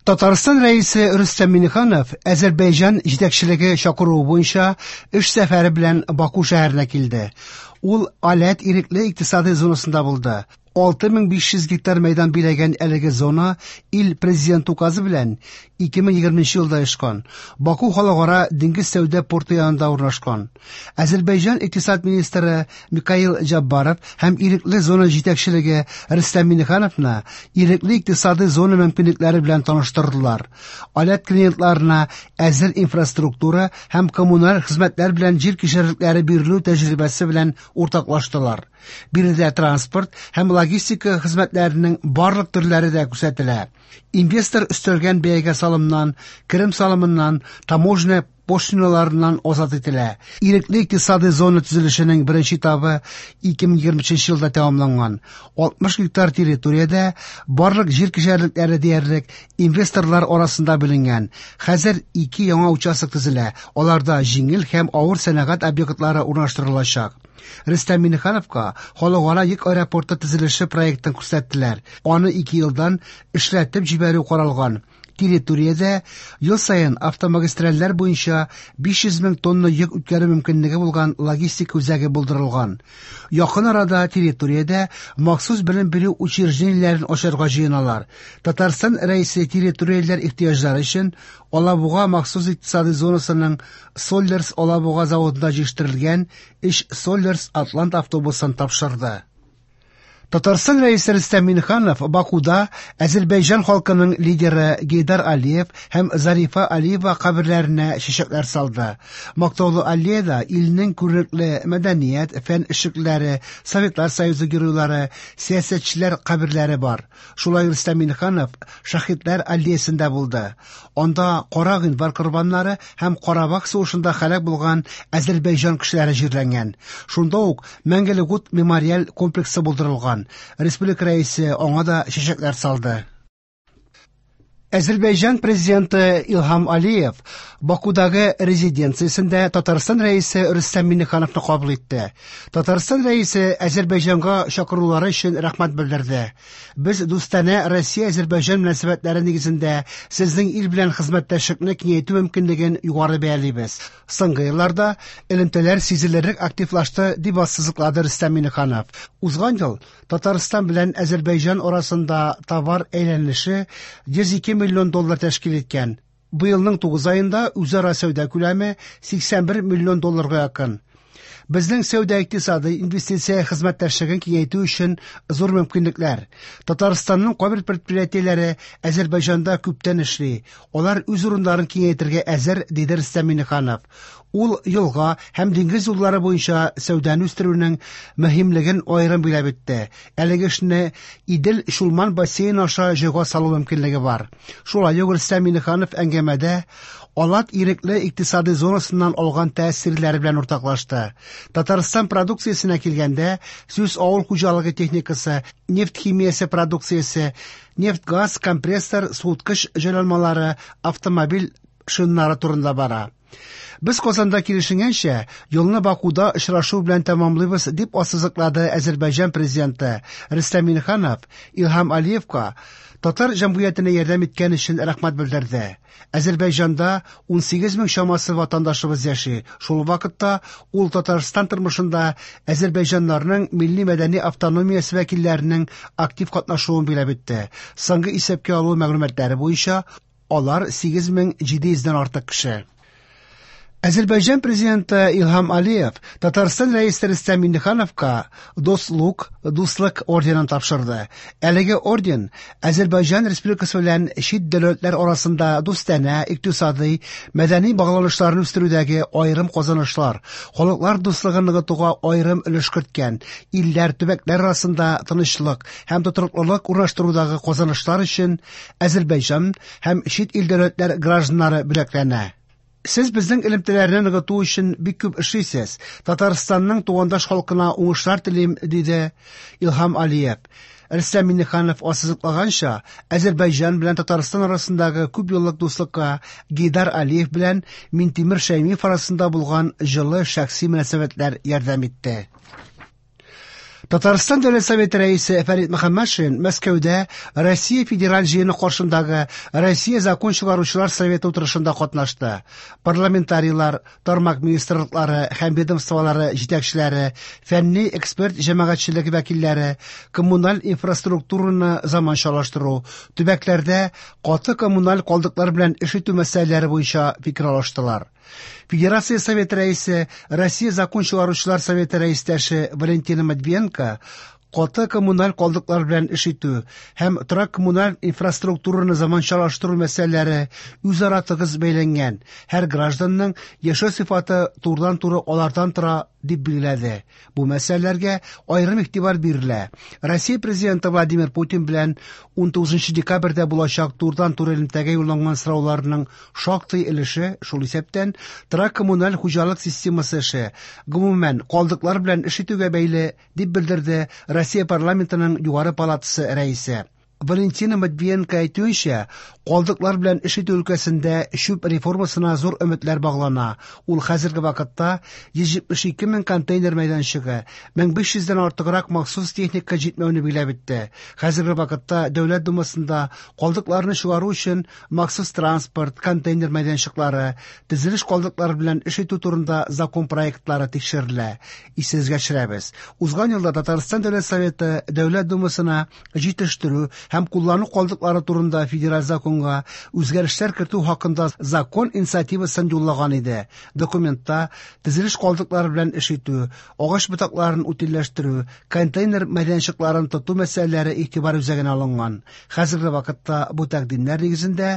Татарстан Рәисе Рөстәм Миңнеханов Әзербәйҗан җитәкчелеге чакыруы буенча эш сәфәре белән Баку шәһәренә килде. Ул Аләт ирекле икътисадый зонасында булды. 6500 гектар мәйдан биләгән әлеге зона ил президенты указы белән 2020 елда оешкан. Баку халыкара диңгез сәүдә порты янында урнашкан. Әзербәйҗан икътисад министры Микаил Җаббаров һәм ирекле зона җитәкчелеге Рөстәм Миңнехановны ирекле икътисадый зона мөмкинлекләре белән таныштырдылар. Аләт клиентларына әзер инфраструктура һәм коммуналь хезмәтләр белән җир кишәрлекләре бирелү тәҗрибәсе белән уртаклаштылар. Биредә транспорт һәм логистика хезмәтләренең барлык төрләре дә күрсәтелә. Инвестор өстәлгән бәягә салымнан, керем салымыннан, таможня пошлиналарыннан азат ителә. Ирекле икътисадый зона төзелешенең беренче этабы 2023 елда тәмамланган. 60 гектар территориядә барлык җир кишәрлекләре диярлек инвесторлар арасында бүленгән. Хәзер ике яңа участок төзелә. Аларда җиңел һәм авыр сәнәгать объектлары урнаштырылачак. Рөстәм Миңнехановка халыкара йөк аэропорты төзелеше проектын күрсәттеләр. Аны 2 елдан эшләтеп җибәрү каралган. Территориядә ел саен автомагистральләр буенча 500 мең тонна йөк үткәрү мөмкинлеге булган логистика үзәге булдырылган. Якын арада территориядә махсус белем бирү учреждениеләрен ачарга җыеналар. Татарстан Рәисе территорияләр ихтыяҗлары өчен Алабуга махсус икътисадый зонасының Соллерс Алабуга заводында җитештерелгән өч Соллерс Атлант автобусын тапшырды. Татарстан Рәисе Рөстәм Миңнеханов Бакуда Әзербәйҗан халкының лидеры Гейдар Алиев һәм Зарифа Алиева каберләренә чәчәкләр салды. Мактаулы аллеяда илнең күренекле мәдәният, фән эшлеклеләре, Советлар Союзы геройлары, сәясәтчеләр каберләре бар. Шулай Рөстәм Миңнеханов Шаһитләр аллеясында булды. Анда Кара гыйнвар корбаннары һәм Карабах сугышында һәлак булган Әзербәйҗан кешеләре җирләнгән. Шунда ук Мәңгелек ут мемориаль комплексы булдырылган. Республика рәисе аңа да чәчәкләр салды. Әзербәйҗан президенты Илһам Алиев Бакудагы резиденциясендә Татарстан рәисе Рөстәм Миңнехановны кабул итте. Татарстан рәисе Әзербәйҗанга чакырулары өчен рәхмәт белдерде. Без дустанә Россия-Әзербәйҗан мөнәсәбәтләре нигезендә сезнең ил белән хезмәттәшлекне киңәйтү мөмкинлеген югары бәялибез. Соңгы елларда элемтәләр сизелерлек активлашты, дип ассызыклады Рөстәм Миңнеханов. Узган ел Татарстан белән Әзербәйҗан арасында товар әйләнеше 102 миллион доллар тәшкил иткән. Быелның 9 аенда үзара сәүдә күләме 81 миллион долларга якын. Безнең сәүдә икътисады инвестиция хезмәттәшлеген киңәйтү өчен зур мөмкинлекләр. Татарстанның кайбер предприятиеләре Әзербәйҗанда күптән эшли. Алар үз урыннарын киңәйтергә әзер, диде Рөстәм Миңнеханов. Ул елга һәм диңгез юллары буенча сәүдәне үстерүнең мөһимлеген аерым билгеләп үтте. Әлеге эшне Идел-Чулман бассейны аша җайга салу мөмкинлеге бар. Шулай ук Рөстәм Миңнеханов әңгәмәдә Алат ирекле икътисадый зонасыннан алган тәэсирләре белән уртаклашты. Татарстан продукциясенә килгәндә, сүз авыл хуҗалыгы техникасы, нефть химиясе продукциясе, нефть-газ, компрессор, суыткыч җайланмалары, автомобиль шиннары турында бара. Без Казанда килешенгәнчә, елны Бакуда очрашу белән тәмамлыйбыз, дип ассызыклады Әзербәйҗан президенты Рөстәм Миңнеханов Илһам Алиевка татар җәмгыятенә ярдәм иткән өчен рәхмәт белдерде. Әзербәйҗанда 18 мең чамасы ватандашыбыз яши. Шул вакытта ул Татарстан тормышында әзербәйҗаннарның милли мәдәни автономиясе вәкилләренең актив катнашуын билгеләп үтте. Соңгы исәпкә алу мәгълүматлары буенча алар 8700дән артык кеше. Әзербәйҗан президенты Илһам Алиев Татарстан рәисе Рөстәм Миңнехановка Дослук, Дуслык орденын тапшырды. Әлеге орден Әзербәйҗан Республикасы белән чит дәүләтләр арасында дустанә, икътисадый, мәдәни багланышларны үстерүдәге аерым казанышлар, халыклар дуслыгын ныгытуга аерым өлеш керткән, илләр, төбәкләр арасында тынычлык һәм тотрыклылык урнаштырудагы казанышлар өчен Әзербәйҗан һәм чит ил дәүләтләр гражданнары бүләкләнә. Сез безнең элемтәләрне ныгыту өчен бик күп эшлисез. Татарстанның тугандаш халкына уңышлар телим, диде Илһам Алиев. Рөстәм Миңнеханов ассызыклаганча, Әзербәйҗан белән Татарстан арасындагы күп еллык дуслыкка Гейдар Алиев белән Минтимер Шәймиев арасында булган җылы шәхси мөнәсәбәтләр ярдәм итте. Татарстан Дәүләт Советы рәисе Фәрит Мөхәммәтшин Мәскәүдә Россия Федераль Җыены каршындагы Россия Закон чыгаручылар советы утырышында катнашты. Парламентарийлар, тармак министрлыклары һәм ведомстволары җитәкчеләре, фәнни эксперт җәмәгатьчелеге вәкилләре коммуналь инфраструктураны заманчалаштыру, төбәкләрдә каты коммуналь калдыклар белән эш итү мәсьәләләре буенча фикер алыштылар. Федерация Советы рәисе, Россия Закон чыгаручылар советы рәистәше Валентина Матвиенко каты коммуналь калдыклар белән эш итү һәм торак-коммуналь инфраструктураны заманчалаштыру мәсьәләләре үзара тыгыз бәйләнгән, һәр гражданның яшәү сыйфаты турыдан-туры алардан тора, дип билгеләде. Бу мәсьәләләргә аерым игътибар бирелә. Россия Президенты Владимир Путин белән 19 декабрьдә булачак турыдан-туры элемтәгә юлланган сорауларның шактый өлеше, шул исәптән, торак-коммуналь хуҗалык системасы эше, гомумән, калдыклар белән эш итүгә бәйле, дип белдерде Россия парламентының югары палатасы рәисе. Валентина Матвиенко әйтүенчә, калдыклар белән эш итү өлкәсендә чүп реформасына зур өметләр баглана. Ул хәзерге вакытта 172 мең контейнер мәйданчыгы, 1500 дән артыграк махсус техника җитмәүне билгеләп үтте. Хәзерге вакытта Дәүләт Думасында калдыкларны чыгару өчен махсус транспорт, контейнер мәйданчыклары, төзелеш калдыклары белән эш итү турында закон проектлары тикшерелә. Исегезгә төшерәбез. Узган елда Татарстан Дәүләт Советы Дәүләт Думасына җитештерү һәм куллану калдыклары турында федераль законга үзгәрешләр кертү хакында закон инициативасын юллаган иде. Документта төзелеш калдыклары белән эш итү, агач ботакларын утильләштерү, контейнер мәйданчыкларын тоту мәсьәләләре игътибар үзәгенә алынган. Хәзерге вакытта бу тәкъдимнәр нигезендә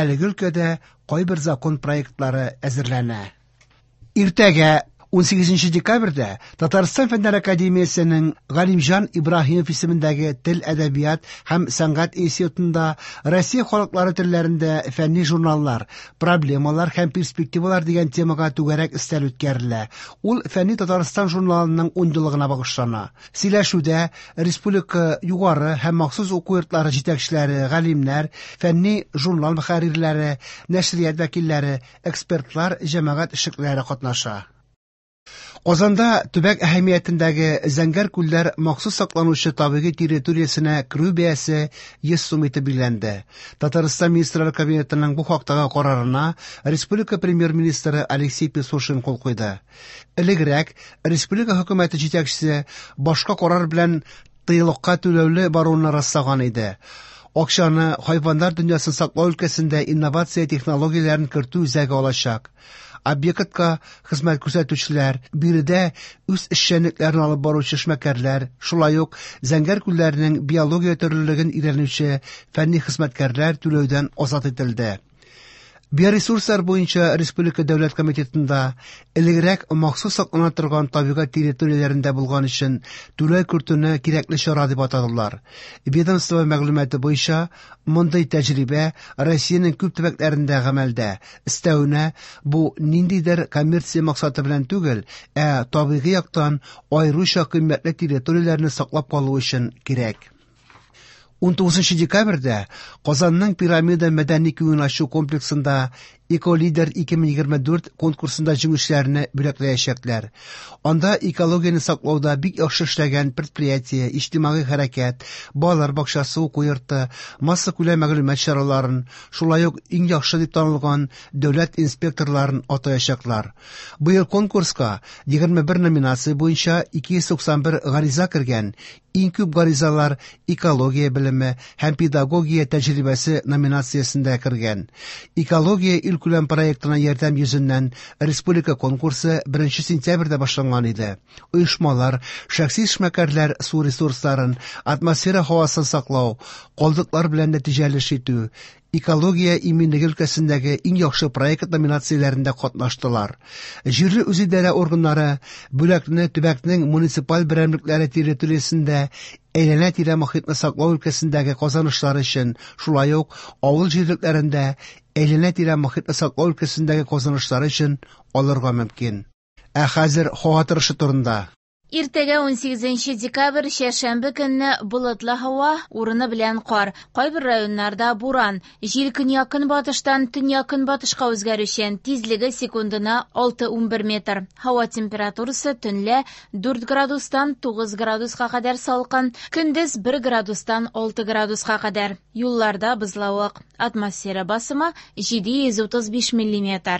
әлеге өлкәдә кайбер закон проектлары әзерләнә. Иртәгә 18 декабрьдә Татарстан Фәннәр академиясенең Галимҗан Ибраһимов исемендәге тел, әдәбият һәм сәнгать институтында Россия халыклары телләрендә фәнни журналлар, проблемалар һәм перспективалар дигән темага түгәрәк өстәл үткәрелә. Ул Фәнни Татарстан журналының 10 еллыгына багышлана. Сөйләшүдә республика югары һәм махсус уку йортлары җитәкчеләре, галимнәр, фәнни журнал мөхәррирләре, нәшрият вәкилләре, экспертлар, җәмәгать эшлеклеләре катнаша. Казанда төбәк әһәмиятендәге Зәңгәр күлләр махсус сакланучы табигый территориясенә керү бәясе 100 сум итеп билгеләнде. Татарстан Министрлар Кабинетының бу хактагы карарына республика премьер-министры Алексей Песошин кул куйды. Элегрәк республика хөкүмәте җитәкчесе башка карар белән тыюлыкка түләүле баруны раслаган иде. Акчаны хайваннар дөньясын саклау өлкәсендә инновация технологияләрен кертү үзәге алачак. Объектка хезмәт күрсәтүчеләр, биредә үз эшчәнлекләрен алып баручы эшмәкәрләр, шулай ук Зәңгәр күлләрнең биология төрлелеген өйрәнүче фәнни хезмәткәрләр түләүдән азат ителде. Биоресурслар буенча Республика дәүләт комитетында элегрәк махсус саклана торган табигать территорияләрендә булган өчен түләү кертүне кирәкле чара дип атадылар. Ведомство мәгълүматы буенча, мондый тәҗрибә Россиянең күп төбәкләрендә гамәлдә. Өстәвенә, бу ниндидер коммерция максаты белән түгел, ә табигый яктан аеруча кыйммәтле территорияләрне саклап калу өчен кирәк. 19 декабрьдә Казанның Пирамида мәдәни күңел ачу комплексында Эколидер 2024 конкурсында җиңүчеләрне бүләкләячәкләр. Анда экологияне саклауда бик яхшы эшләгән предприятие, иҗтимагый хәрәкәт, балалар бакчасы, уку йорты, массакүләм мәгълүмат чараларын, шулай ук иң яхшы дип танылган дәүләт инспекторларын атаячаклар. Быел конкурска 21 номинация буенча 291 гариза кергән. Иң күп гаризалар экология белеме һәм педагогия тәҗрибәсе номинациясендә кергән. Экология илкүләм проектына ярдәм йөзеннән республика конкурсы 1 сентябрьдә башланган иде. Оешмалар, шәхси эшмәкәрләр су ресурсларын, атмосфера һавасын саклау, калдыклар белән нәтиҗәле эш итү, экология иминлеге өлкәсендәге иң яхшы проект номинацияләрендә катнаштылар. Җирле үзидарә органнары бүләкне төбәкнең муниципаль берәмлекләре территориясендә әйләнә-тирә мохитне саклау өлкәсендәге казанышлар өчен, шулай ук авыл җирлекләрендә әйләнә-тирә мохитне саклау өлкәсендәге казанышлар өчен алырга мөмкин. Ә хәзер һава торышы турында. Иртәгә 18 декабрь, чәршәмбе көнне болытлы һава, урыны белән кар. Кайбер районнарда буран. Җил көньяк-көнбатыштан төньяк-көнбатышка үзгәрүчән, тизлеге секундына 6-11 метр. Һава температурасы төнлә 4 градустан 9 градуска кадәр салкын, көндез 1 градустан 6 градуска кадәр. Юлларда бозлавык. Атмосфера басымы 735 миллиметр.